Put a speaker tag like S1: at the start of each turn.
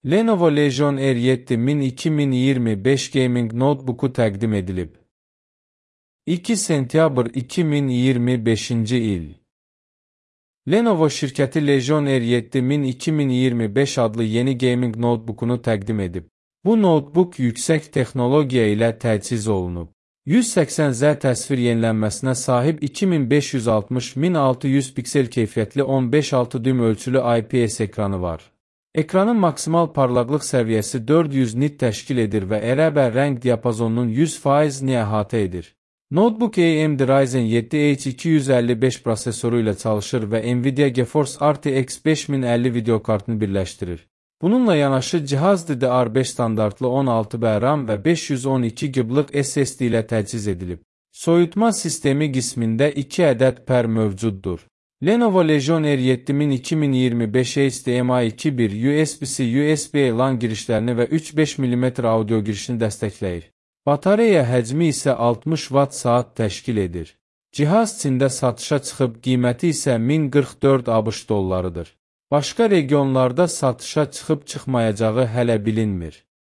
S1: Lenovo Legion R7 Min 2025 Gaming Notebook'u təqdim edilib. 2 sentyabr 2025-ci il. Lenovo şirkəti Legion R7 Min 2025 adlı yeni gaming notebook'unu təqdim edib. Bu notebook yüksək texnologiya ilə təchiz olunub. 180Z təsvir yenilənməsinə sahib 2560x1600 piksel keyfiyyətli 15.6 düym ölçülü IPS ekranı var. Ekranın maksimal parlaqlıq səviyyəsi 400 nit təşkil edir və RGB rəng diapazonunun 100%-ni əhatə edir. Notebook AMD Ryzen 7 H255 prosesoru ilə çalışır və Nvidia GeForce RTX 5050 videokartını birləşdirir. Bununla yanaşı cihaz DDR5 standartlı 16GB RAM və 512 GB SSD ilə təchiz edilib. Soyutma sistemi qismində 2 ədəd pər mövcuddur. Lenovo Legion R7 Min 2025 HDMI 2.1 USB-C USB LAN girişlərini və 3.5 mm audio girişini dəstəkləyir. Batareya həcmi isə 60 Watt-saat təşkil edir. Cihaz Çində satışa çıxıb, qiyməti isə 1044 ABŞ dollarıdır. Başqa regionlarda satışa çıxıb çıxmayacağı hələ bilinmir.